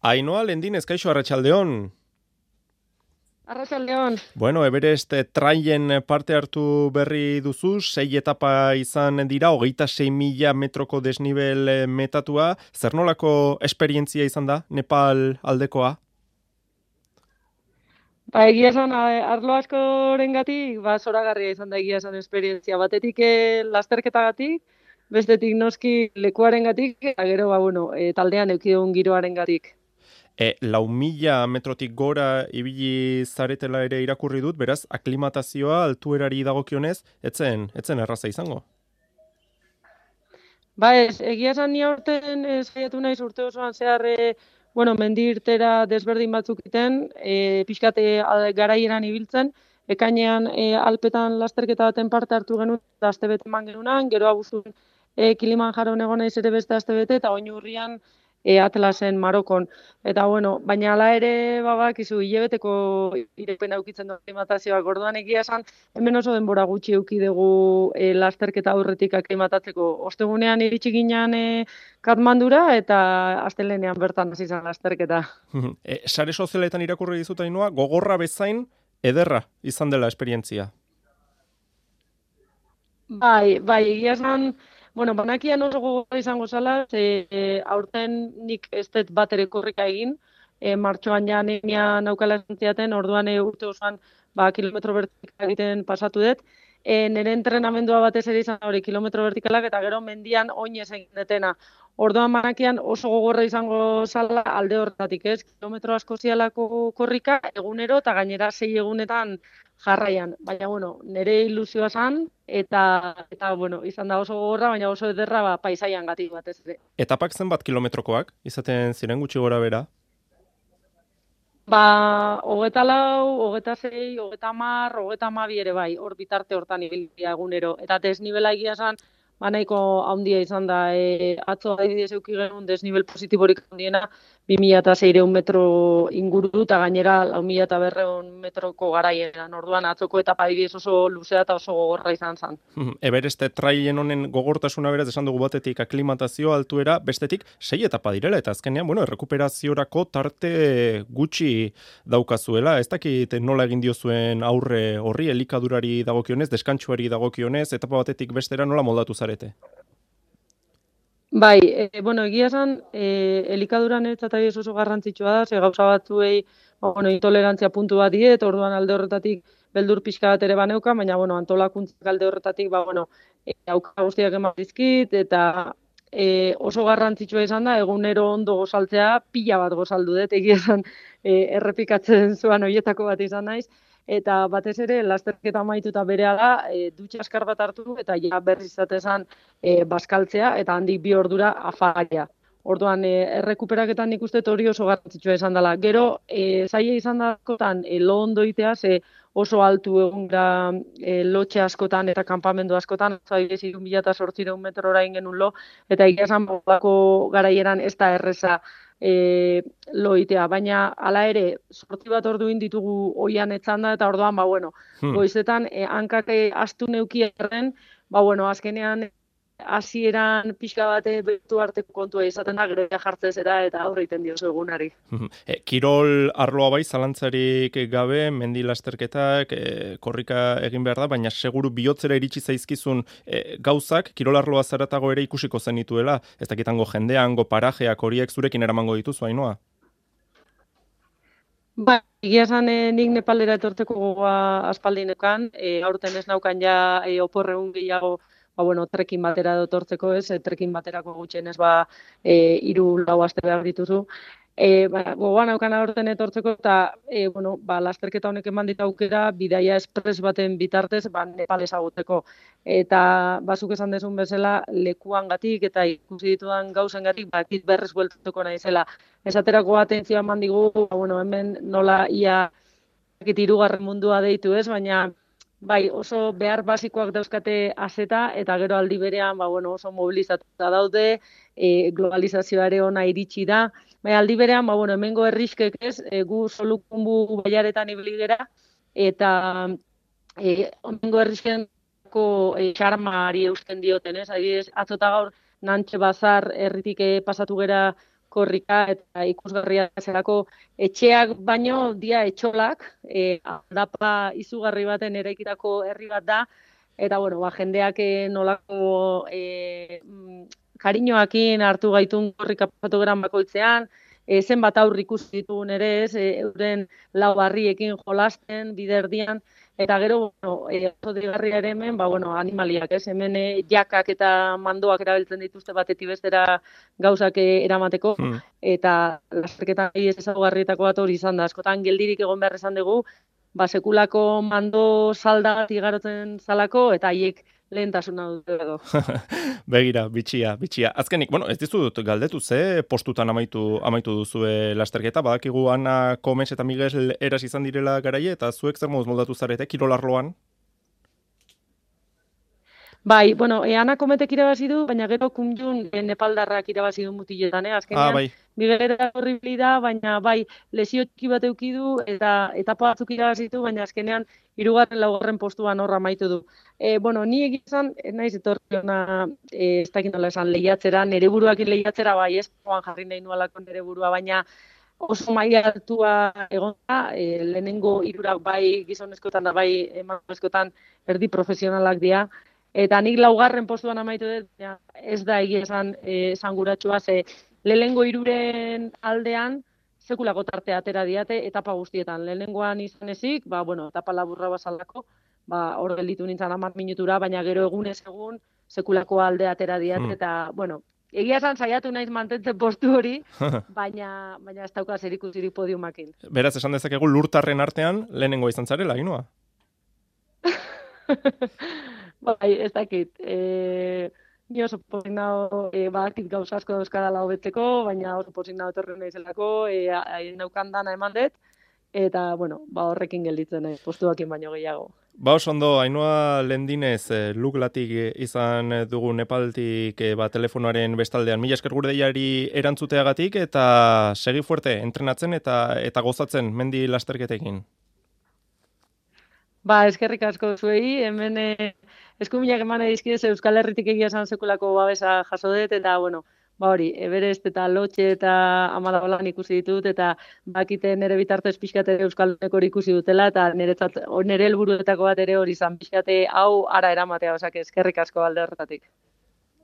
Ainhoa Lendinez, kaixo, arratsaldeon. Arratsaldeon. Bueno, Everest trailen parte hartu berri duzu, 6 etapa izan dira, 26.000 metroko desnibel metatua. Zer nolako esperientzia izan da, Nepal aldekoa? Egia esan, arlo askorengatik, zoragarria izan da egia esan esperientzia. Batetik lasterketagatik, bestetik noski lekuarengatik, eta gero, taldean eduki dugun giroarengatik. 4.000 metrotik gora ibili zaretela ere irakurri dut, beraz, aklimatazioa altuerari dagokionez, etzen erraza izango. Egia esan ni aurten saiatu naiz urte osoan zehar, mendi irtera desberdin batzuk iten, pixkate garaieran ibiltzen, ekainean Alpetan lasterketa baten parte hartu genuen, eta astebete eman genunan, gero abuztun Kilimanjaron egon naiz ere beste astebete, eta oin urrian Atlasen Marokon. Eta baina hala ere bakizu hilabeteko irepena edukitzen du aklimatazioak, orduan egia esan, hemen oso denbora gutxi eduki dugu lasterketa aurretik aklimatatzeko. Ostegunean iritsi ginen Katmandura eta astelehenean bertan hasi zen lasterketa. Sare sozialetan irakurri dizut Ainhoa, gogorra bezain ederra izan dela esperientzia. Egia esan, banakian oso gogorra izango zala, aurten nik ez dut bat ere korrika egin, martxoan ja anemia naukala zantziaten, orduan urte osoan kilometro vertikala egiten pasatu dut. Nire entrenamendua batez ere izan hori kilometro vertikalak eta gero mendian oinez egin detena. Orduan banakian oso gogorra izango zala alde horretatik, ez? Kilometro asko zialako korrika egunero eta gainera 6 egunetan jarraian. Baina, nire ilusioa zan eta izan da oso gogorra, baina oso ederra paisaian gatik batez ere. Etapak zenbat kilometrokoak, izaten ziren gutxi gora bera? 24, 26, 30, 32 ere bai, hor bitarte hortan ibilbidea egunero. Eta desnibela egia esan, nahiko handia izan da. Atzo adibidez eduki genuen desnibel positiborik handiena 2.600 metro inguru eta gainera 4.200 metroko garaieran. Orduan atzoko etapa adibidez oso luzea eta oso gogorra izan zen. Everest trailen honen gogortasuna beraz esan dugu batetik aklimatazio altuera, bestetik 6 etapa direla eta azkenean, errekuperaziorako tarte gutxi daukazuela. Ez dakit nola egin diozuen aurre horri, elikadurari dagokionez, deskantsuari dagokionez, etapa batetik bestera nola moldatu zarete? Egia esan, elikaduran etzatari oso garrantzitsua da, ze gauza batzuei, intolerantzia puntu bat diet, orduan alde horretatik beldur pixka bat ere baneuka, baina, antolakuntzak alde horretatik, auka guztiak eman dizkit, eta oso garrantzitsua izan da, egunero ondo gozaltzea, pila bat gozaldu dut, egia esan, errepikatzen zuan horietako bat izan naiz, eta batez ere, lasterketa amaituta berehala, dutxa askar bat hartu, eta ja berriz izatezan bazkaltzea, eta handik 2 ordura afaria. Orduan, errekuperaketan nik uste hori oso garrantzitsua izan dela. Gero, zaila izan dakotan, lo ondo itea, ze oso altu egun da lotxe askotan eta kanpamendu askotan, zailez 2.800 metrora ingenun lo, eta egia esan garaieran ez da erreza loitea, baina hala ere, 8 bat orduin ditugu oian etzanda, eta orduan, goizetan, hankak astu neuki erren, azkenean, hasieran pixka bate betu arteko kontua izaten da, gero jartzen zera eta aurre iten diozu egunari. Kirol arloa bai, zalantzarik gabe, mendi lasterketak, korrika egin behar da, baina seguru bihotzera iritsi zaizkizun gauzak, kirol arloa zaratago ere ikusiko zenituela, ez dakitango jendeango, parajeak, horiek zurekin eramango dituzu, Ainhoa? Egia esan nik Nepalera etortzeko gogoa aspaldinekan, aurten ez naukan ja oporreun gehiago trekin batera dotortzeko ez, trekin baterako gutxienez 3-4 aste behar dituzu. Gogoan aukan aurten etortzeko eta lasterketa honek eman dit aukera bidaia espres baten bitartez Nepal ezagutzeko. Eta bazuk esan dezun bezala lekuangatik eta ikusi ditudan gauzengatik bakit berriz bueltatuko naizela. Esaterako atentzioa eman digu, hemen nola ia 3. mundua deitu ez, baina oso behar basikoak dauzkate azeta, eta gero aldi berean oso mobilizatuta daude, globalizazioare ona iritsi da. Aldi berean, hemengo herriskek ez, gu Solukunbu baiaretan ibili gera, eta hemengo herriskenko xarmari eusten dioten, ez? Adibidez, atzota gaur Nantxe Bazar herritik pasatu gera korrika eta ikusgarria zelako etxeak baino dia etxolak, aldapa izugarri baten eraikitako herri bat da, eta bueno, ba, jendeak nolako kariñoakin hartu gaitun korrika pasatu geran bakoitzean, zenbat aurri ikusi ditugun ere ez, euren lau barriekin jolasten, biderdian, eta gero, bueno, oso deigarria ere hemen, ba, bueno, animaliak, ez? Hemen jakak eta mandoak erabiltzen dituzte batetik bestera gauzak eramateko, eta lasterketan ez ezaugarrietako bat hori izan da. Askotan geldirik egon behar izan dugu, ba, sekulako mando salda igarotzen zalako, eta haiek lehentasuna dute edo. Begira, bitxia. Azkenik, bueno, ez dizut galdetu ze postutan amaitu duzue lasterketa, badakigu Ana Komes eta Miguel Eras izan direla garaie, eta zuek zer moduz moldatu zarete, kirolarloan? Bai, bueno, Ana Kometek irabazi du, baina gero Kumjun nepaldarrak irabazi du mutiletan, azkenean. Bai. Miguelera horribli da, baina bai, lesio txiki bat eduki du, eta etapa batzuk irabazi du, baina azkenean 3. 4. postuan horra amaitu du. Bueno, ni egizan, naiz etorri ona, ez dakit nola esan, lehiatzera, nere buruakin lehiatzera, bai, ez jarri nahi nualako nere burua, baina oso maila altua egon da, lehenengo 3 bai gizonezkoetan da bai emakumezkoetan erdi profesionalak dira, eta nik 4. postuan amaitu dut, ez da egia esanguratsua, ze lehenengo 3 aldean sekulako tartea atera diate etapa guztietan. Lehenengoan izan ezik, ba, bueno, etapa laburra bazalako, ba, hor gelditu nintzen 10 minutura, baina gero egunez egun sekulako alde atera diate, eta, bueno, egia esan saiatu naiz mantentzen postu hori, baina ez dauka zerikusirik podiumakin. Beraz, esan dezakegu lurtarren artean lehenengoa izan zarela, Ainhoa? Bai, ez dakit. Ni oso pozik nago, badakit gauza asko dauzkadala hobetzeko, baina oso pozik nago etorri naizelako, naukan dana eman dut, eta, bueno, ba horrekin gelditzen postuakin baino gehiago. Ba, oso ondo, Ainhoa Lendinez, Luglatik izan dugu Nepaltik telefonoaren bestaldean. Mila esker gure deiari erantzuteagatik, eta segi fuerte, entrenatzen eta gozatzen mendi lasterketekin. Ba, eskerrik asko zuei, hemen eskuminak eman edizkidez Euskal Herritik egia esan sekulako babesa jaso dut, eta, bueno, ba hori, Everest eta Lotxe eta Amadabalan ikusi ditut, eta bakite nire bitartez pixkate Euskal Herriko ikusi dutela, eta nire helburuetako bat ere hori izan pixkate hau ara eramatea, osake eskerrik asko alde horretatik.